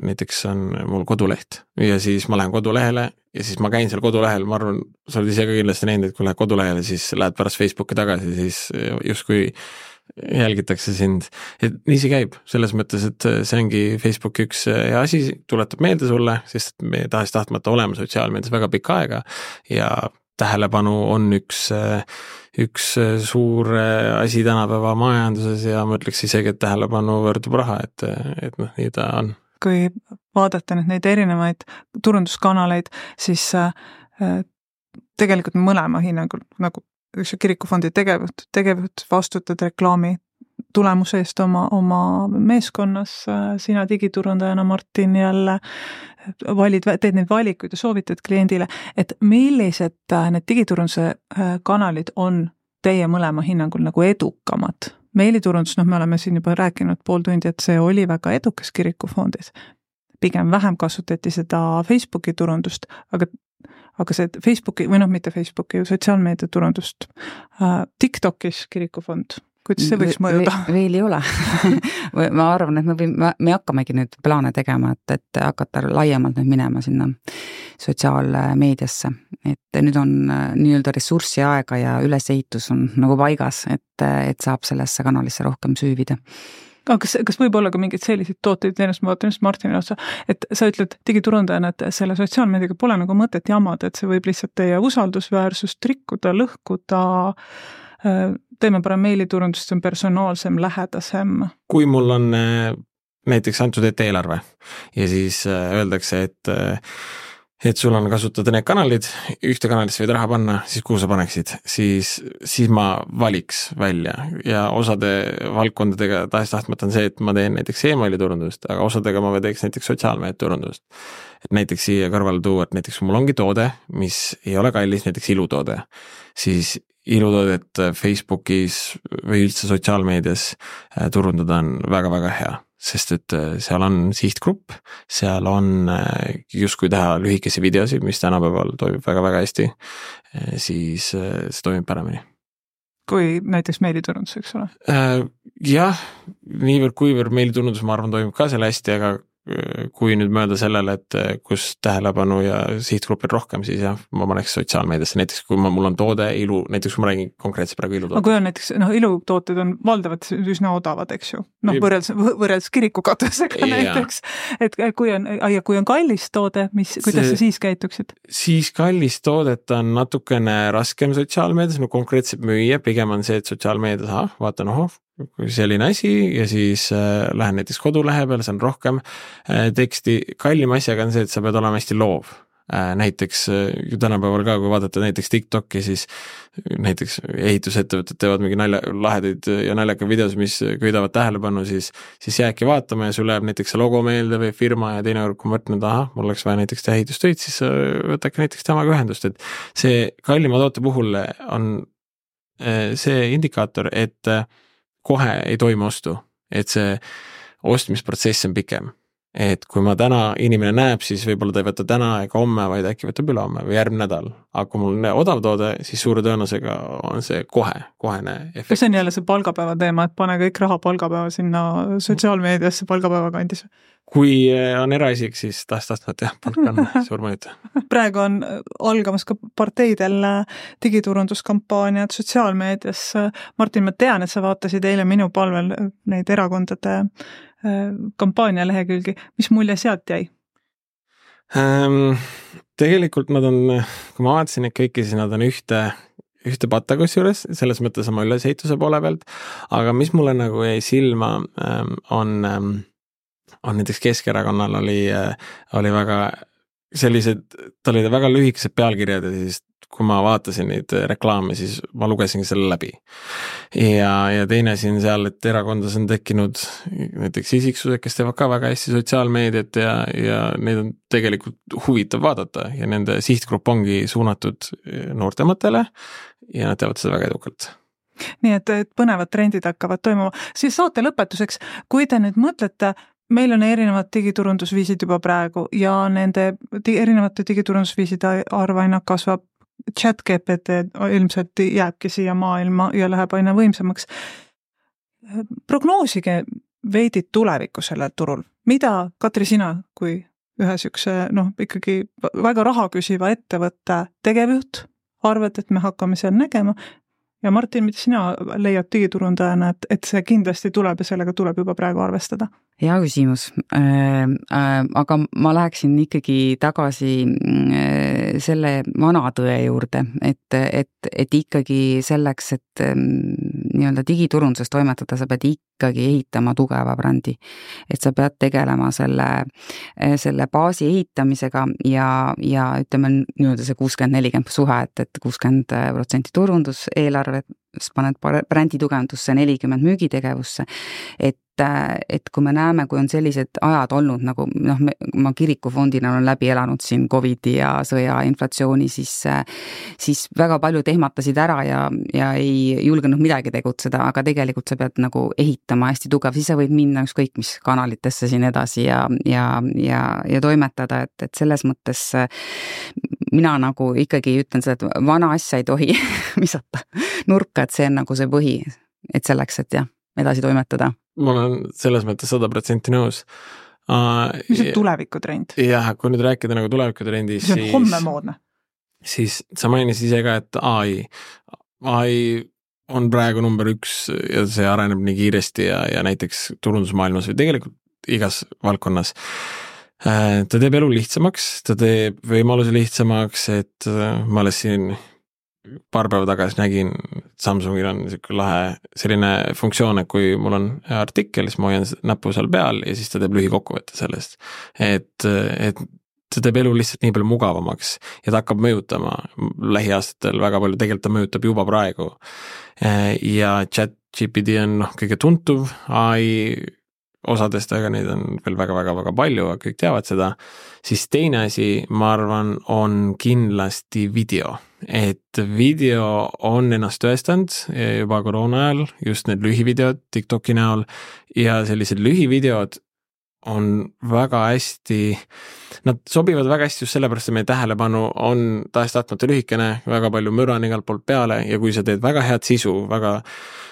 [SPEAKER 3] näiteks on mul koduleht ja siis ma lähen kodulehele ja siis ma käin seal kodulehel, ma arvan, sa oled ise ka kindlasti näinud, et kui lähed kodulehele, siis lähed pärast Facebooki tagasi, siis justkui jälgitakse sind. Et nii see käib, selles mõttes, et see ongi Facebooki üks asi, tuletab meelde sulle, sest me tahaks tahtmata olema sotsiaalmeedias väga pikka aega ja tähelepanu on üks, üks suur asi tänapäeva majanduses ja ma ütleks isegi, et tähelepanu võrdub raha, et, et noh, nii ta on.
[SPEAKER 2] Kui vaadata nüüd neid erinevaid turunduskanaleid, siis äh, tegelikult mõlema hinnangul, nagu üks kirikufondi tegevjuht, tegevjuht vastutad reklaami tulemuse eest oma, oma meeskonnas, sina digiturundajana, Martin, jälle valid, teed neid valikuid ja soovitad kliendile, et millised need digiturunduse kanalid on teie mõlema hinnangul nagu edukamad. Meiliturundus, noh, me oleme siin juba rääkinud pool tundi, et see oli väga edukas kirikufondis. Pigem vähem kasutati seda Facebooki turundust, aga aga see Facebooki, või noh, mitte Facebooki, sotsiaalmeedia turundust. TikTokis kirikufond, kuidas see võiks mõjuda?
[SPEAKER 4] Veel ei ole. ma arvan, et me, võime, me hakkamegi nüüd plaane tegema, et, et hakata laiemalt nüüd minema sinna sotsiaalmeediasse. Et nüüd on nii-öelda ressurssi aega ja ülesehitus on nagu paigas, et, et saab sellesse kanalisse rohkem süüvida.
[SPEAKER 2] Aga kas, kas võib olla ka mingid sellised tooteid, ennast ma vaatan just Martinile otsa, et sa ütled digiturundajana, et selle sotsiaalmeediaga pole nagu mõtet jamada, et see võib lihtsalt teie usaldusväärsust rikkuda, lõhkuda, teeme parem meiliturundust, see on personaalsem, lähedasem. Kui
[SPEAKER 3] mul on näiteks antud ette eelarve ja siis öeldakse, et et sul on kasutada need kanalid, ühte kanalisse võid raha panna, siis kuhu sa paneksid, siis, siis ma valiks välja ja osade valdkondadega tahes tahtmata on see, et ma teen näiteks emaili turundust, aga osadega ma teeks näiteks sotsiaalmeedia turundust. Et näiteks siia kõrvale tuua, et näiteks mul ongi toode, mis ei ole kallis, näiteks ilutoode, siis ilutoodet Facebookis või üldse sotsiaalmeedias turundada on väga-väga hea. Sest et seal on sihtgrupp, seal on justkui teha lühikesi videosid, mis tänapäeval toimib väga-väga hästi, siis see toimib paremini.
[SPEAKER 2] Kui näiteks meiliturundus, eks ole?
[SPEAKER 3] Jah, niivõrd kuivõrd meiliturundus, ma arvan, toimib ka selle hästi, aga kui nüüd mõelda sellele, et kus tähelepanu ja sihtgrupil rohkem, siis jah, ma paneks sotsiaalmeediasse, näiteks kui ma, mul on toode, ilu, näiteks kui ma räägin konkreetselt praegu ilutooted.
[SPEAKER 2] Aga kui on näiteks, noh, ilutooted on valdavad üsna odavad, eks ju, noh, võrreldes, võrreldes kirikukatusega näiteks, et kui on, ja kui on kallis toode, mis, kuidas sa siis käituksid? Siis
[SPEAKER 3] kallis toodet on natukene raskem sotsiaalmeedias, no konkreetselt müüa, pigem on see, et sotsiaalmeedias, aha, vaatan, oho, selline asi ja siis äh, lähen näiteks kodulehe peale, see on rohkem äh, teksti. Kallim asjaga on see, et sa pead olema hästi loov. Äh, näiteks äh, tänapäeval ka, kui vaadata näiteks TikToki, siis näiteks ehitusettevõtted teevad mingi nalja, lahedaid ja naljaka videos, mis köidavad tähelepanu, siis, siis jääki vaatama ja sul läheb näiteks see logo meelde või firma ja teine kord, kui ma mõtlen, et aha, mul oleks vaja näiteks teha ehitustöid, siis võtake näiteks temaga ühendust, et see kallima toote puhul on äh, see indikaator, et äh, kohe ei toimu ostu, et see ostmisprotsess on pikem. Et kui ma täna inimene näeb, siis võib-olla ta ei võta täna ega homme, vaid äkki võtab üle homme või järgmine nädal. Aga kui mul on odav toode, siis suure tõenäosusega on see kohe, kohene efekt.
[SPEAKER 2] Kas see on jälle see palgapäeva teema, et pane kõik raha palgapäeva sinna sotsiaalmeediasse palgapäeva kandis? Kui
[SPEAKER 3] on eraisik, siis tahes-tahtvat jah, palk on suur mõjuta.
[SPEAKER 2] Praegu on algamas ka parteidel digiturunduskampaaniad sotsiaalmeedias. Martin, ma tean, et sa vaatasid eile minu palvel neid erakondade kampaania lehekülgi. Mis mulje sealt jäi?
[SPEAKER 3] Ähm, tegelikult nad on, kui ma vaatasin neid kõiki, siis nad on ühte, ühte patakus juures, selles mõttes oma ülesehituse poole pealt, aga mis mulle nagu jäi silma on, on näiteks Keskerakonnal oli, oli väga sellised, tal olid väga lühikesed pealkirjad ja siis kui ma vaatasin neid reklaame, siis ma lugesin selle läbi. Ja, ja teine siin seal, et erakondas on tekkinud näiteks isiksused, kes teevad ka väga hästi sotsiaalmeediat ja, ja neid on tegelikult huvitav vaadata ja nende sihtgrupp ongi suunatud noortematele ja nad teevad seda väga edukalt.
[SPEAKER 2] Nii et, et põnevad trendid hakkavad toimuma. Siis saate lõpetuseks, kui te nüüd mõtlete, meil on erinevad digiturundusviisid juba praegu ja nende erinevate digiturundusviiside arv aina kasvab. Chat G P T ilmselt jääbki siia maailma ja läheb aina võimsamaks. Prognoosige veidid tulevikku sellel turul. Mida, Katri, sina kui ühe sükse, noh, ikkagi väga raha küsiva ettevõtte tegevjuht arvad, et me hakkame seal nägema? Ja Martin, mida sina leiad digiturundajana, et, et see kindlasti tuleb ja sellega tuleb juba praegu arvestada?
[SPEAKER 4] Hea küsimus, äh, äh, aga ma läheksin ikkagi tagasi äh, selle vana tõe juurde, et, et, et ikkagi selleks, et äh, nii-öelda digiturunduses toimetada, sa pead ikkagi ehitama tugeva brändi. Et sa pead tegelema selle, selle baasi ehitamisega ja, ja ütleme nii-öelda see kuuskümmend nelikümmend suhe, et, et kuuskümmend protsenti turundus eelarve, paned brändi tugevdusse, nelikümmend müügitegevusse, et et kui me näeme, kui on sellised ajad olnud, nagu noh, ma kirikufondina olen läbi elanud siin COVID ja sõja inflatsiooni, siis, siis väga palju tehmatasid ära ja, ja ei julgenud midagi tegutseda, aga tegelikult sa pead nagu ehitama hästi tugev, siis sa võid minna ükskõik mis kanalitesse siin edasi ja, ja, ja, ja toimetada, et, et selles mõttes mina nagu ikkagi ütlen seda, et vana asja ei tohi visata nurka, et see on nagu see põhi, et selleks, et jah, edasi toimetada.
[SPEAKER 3] Ma olen selles mõttes sada protsenti nõus. Uh,
[SPEAKER 2] mis on tulevikutrend?
[SPEAKER 3] Jah, kui nüüd rääkida nagu tulevikutrendis,
[SPEAKER 2] siis... See on homme moodne.
[SPEAKER 3] Siis sa mainisid ise ka, et A I. A I on praegu number üks ja see areneb nii kiiresti ja, ja näiteks turundusmaailmas või tegelikult igas valdkonnas. Uh, ta teeb elu lihtsamaks, ta teeb võimaluse lihtsamaks, et uh, ma alles siin paar päeva tagasi nägin, Samsungil on lahe selline funktsioon, et kui mul on artikkel, siis ma hoian näpu seal peal ja siis ta teeb lühikokkuvõtte sellest. Et, et ta teeb elu lihtsalt nii palju mugavamaks ja ta hakkab mõjutama lähiaastatel väga palju, tegelikult ta mõjutab juba praegu. Ja Chat G P T on noh, kõige tuntuv A I osadest, aga neid on veel väga-väga-väga palju, kõik teavad seda. Siis teine asi, ma arvan, on kindlasti video. Et video on ennast tõestanud juba koroona ajal, just need lühivideod TikToki näol ja sellised lühivideod on väga hästi, nad sobivad väga hästi just sellepärast, et meie tähelepanu on tahes-tahtmata lühikene, väga palju müra on igalt poolt peale ja kui sa teed väga head sisu, väga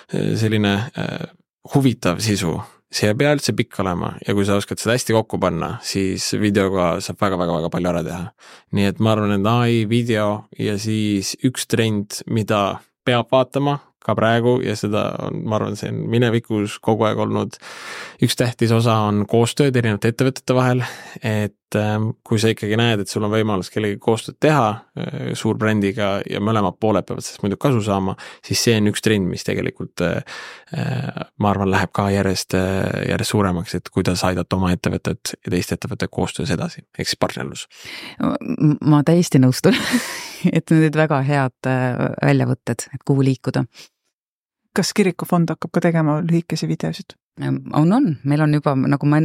[SPEAKER 3] selline äh, huvitav sisu, see ei pea üldse pikk olema ja kui sa oskad seda hästi kokku panna, siis videoga saab väga-väga-väga palju ära teha. Nii et ma arvan, et A I, video ja siis üks trend, mida peab vaatama ka praegu ja seda on, ma arvan, see on minevikus kogu aeg olnud üks tähtis osa on koostööd erinevate ettevõtete vahel, et kui sa ikkagi näed, et sul on võimalus kellegi koostööd teha suur brändiga ja mõlemad pooled peavad sellest muidu kasu saama, siis see on üks trend, mis tegelikult ma arvan, läheb ka järjest, järjest suuremaks, et kuidas aidata oma ettevõtet ja teiste ettevõtte koostöös edasi, ehk siis partnerlus.
[SPEAKER 4] Ma täiesti nõustun, et need väga head väljavõtted, et kuhu liikuda.
[SPEAKER 2] Kas kirikufond hakkab ka tegema lühikesi videosid?
[SPEAKER 4] On, on. Meil on juba, nagu ma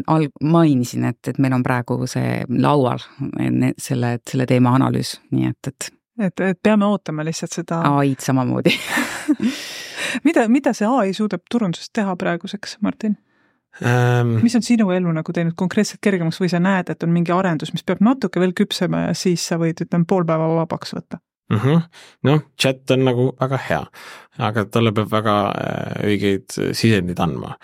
[SPEAKER 4] mainisin, et, et meil on praegu see laual selle, selle teema analüüs, nii et, et
[SPEAKER 2] et, et peame ootama lihtsalt seda
[SPEAKER 4] A I-d samamoodi.
[SPEAKER 2] mida, mida see A I suudab turundusest teha praeguseks, Martin?
[SPEAKER 3] Ähm,
[SPEAKER 2] mis on sinu elu nagu teinud konkreetselt kergemaks või sa näed, et on mingi arendus, mis peab natuke veel küpsema ja siis sa võid, ütlem, pool päeva vabaks võtta?
[SPEAKER 3] Mm-hmm. Noh, chat on nagu väga hea, aga talle peab väga õigeid sisendid andma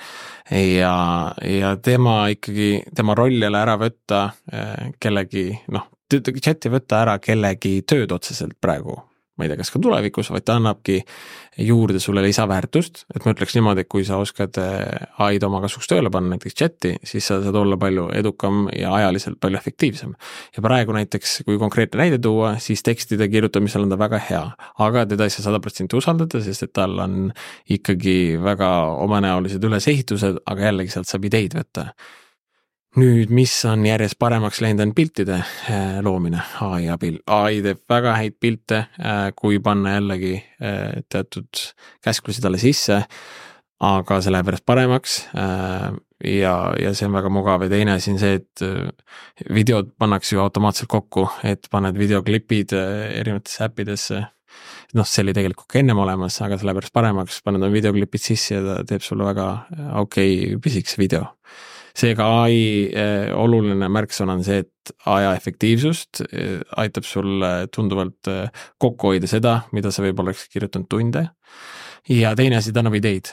[SPEAKER 3] ja, ja tema ikkagi, tema roll jälle ära võtta kellegi, noh, chat ei võtta ära kellegi tööd otseselt praegu, ma ei tea, kas ka tulevikus, vaid ta annabki juurde sulle lisaväärtust, et ma ütleks niimoodi, et kui sa oskad A I-d oma kasuks tööle panna näiteks chati, siis sa saad olla palju edukam ja ajaliselt palju efektiivsem. Ja praegu näiteks, kui konkreetne näide tuua, siis tekstide kirjutamisel on ta väga hea, aga teda ei saa sada protsenti usaldada, sest et tal on ikkagi väga omanäolised ülesehitused, aga jällegi sealt saab ideid võtta. nüüd, mis on järjest paremaks läinud, on piltide loomine A I abil. A I teeb väga häid pilte, kui panna jällegi teatud käsklusi talle sisse, aga see läheb järjest paremaks ja, ja see on väga mugav. Ja teine asi on see, et videod pannakse ju automaatselt kokku, et paned videoklipid erinevatesse äppidesse. Noh, see oli tegelikult ka ennem olemas, aga see läheb järjest paremaks, paned on videoklipid sisse ja ta teeb sulle väga okei okay, pisikese video. Seega A I eh, oluline märksõna on see, et aja efektiivsust eh, aitab sul tunduvalt eh, kokku hoida seda, mida sa võib oleks kirjutanud tunde. Ja teine asi, ta annab ideid.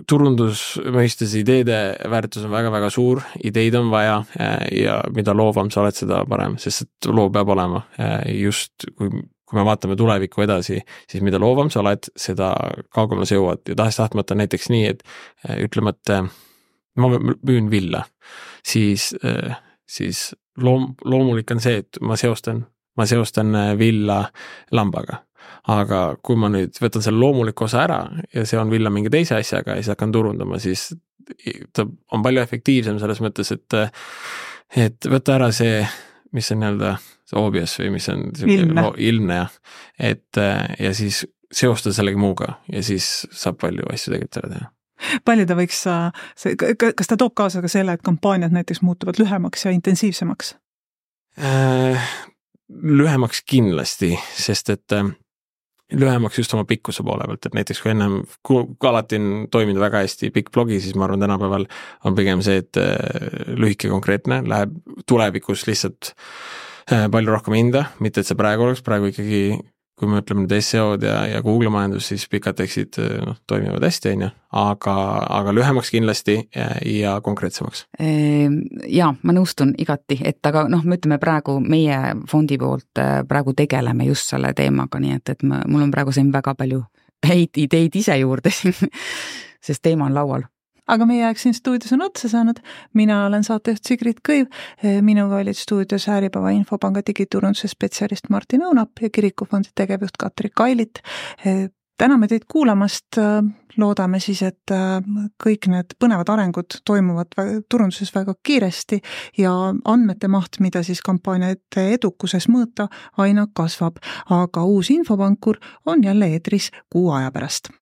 [SPEAKER 3] Turundusmõistes ideede väärtus on väga-väga suur, ideid on vaja eh, ja mida loovam sa oled, seda parem, sest et loo peab olema eh, just kui kui me vaatame tulevikku edasi, siis mida loovam sa oled, seda kaugemale sa jõuad. Ja tahaks tahtmata näiteks nii, et ütleme, et ma müün villa, siis, siis loom, loomulik on see, et ma seostan, ma seostan villa lambaga. Aga kui ma nüüd võtan selle loomuliku osa ära ja see on villa mingi teise asjaga ja siis hakkan turundama, siis ta on palju efektiivsem selles mõttes, et, et võtta ära see, mis on nii-öelda obvious või mis on
[SPEAKER 2] ilmne,
[SPEAKER 3] ilmne ja, et ja siis seostada sellegi muuga ja siis saab palju asju tegelikult ära teha.
[SPEAKER 2] Palju ta võiks, kas ta toob kaasa ka selle, et kampaaniad näiteks muutuvad lühemaks ja intensiivsemaks?
[SPEAKER 3] Lühemaks kindlasti, sest et lühemaks just oma pikkuse poole pealt, et näiteks kui ennem, kui alati on toiminud väga hästi pikk blogi, siis ma arvan tänapäeval on pigem see, et lühike konkreetne läheb tulevikus lihtsalt palju rohkem hinda, mitte et see praegu oleks, praegu ikkagi, kui me ütleme nüüd S E O-d ja, ja Google majandus, siis pikad tekstid no, toimivad hästi, on ju, aga, aga lühemaks kindlasti ja, ja konkreetsemaks.
[SPEAKER 4] Jaa, ma nõustun igati, et aga noh, me ütleme praegu meie fondi poolt praegu tegeleme just selle teemaga, nii et, et ma, mul on praegu siin väga palju häid ideid ise juurde siin, sest teema on laual.
[SPEAKER 2] Aga meie aeg siin stuudios on otsa saanud. Mina olen saatejuht Sigrid Kõiv. Minuga olid stuudios Äripäeva Infopanga digiturunduse spetsialist Martin Õunap ja Kirikufondi tegevjuht Katri Kailit. Täname teid kuulamast. Loodame siis, et kõik need põnevad arengud toimuvad turunduses väga kiiresti ja andmete maht, mida siis kampaaniate edukuses mõõta, aina kasvab. Aga uus Infopankur on jälle eetris kuu aja pärast.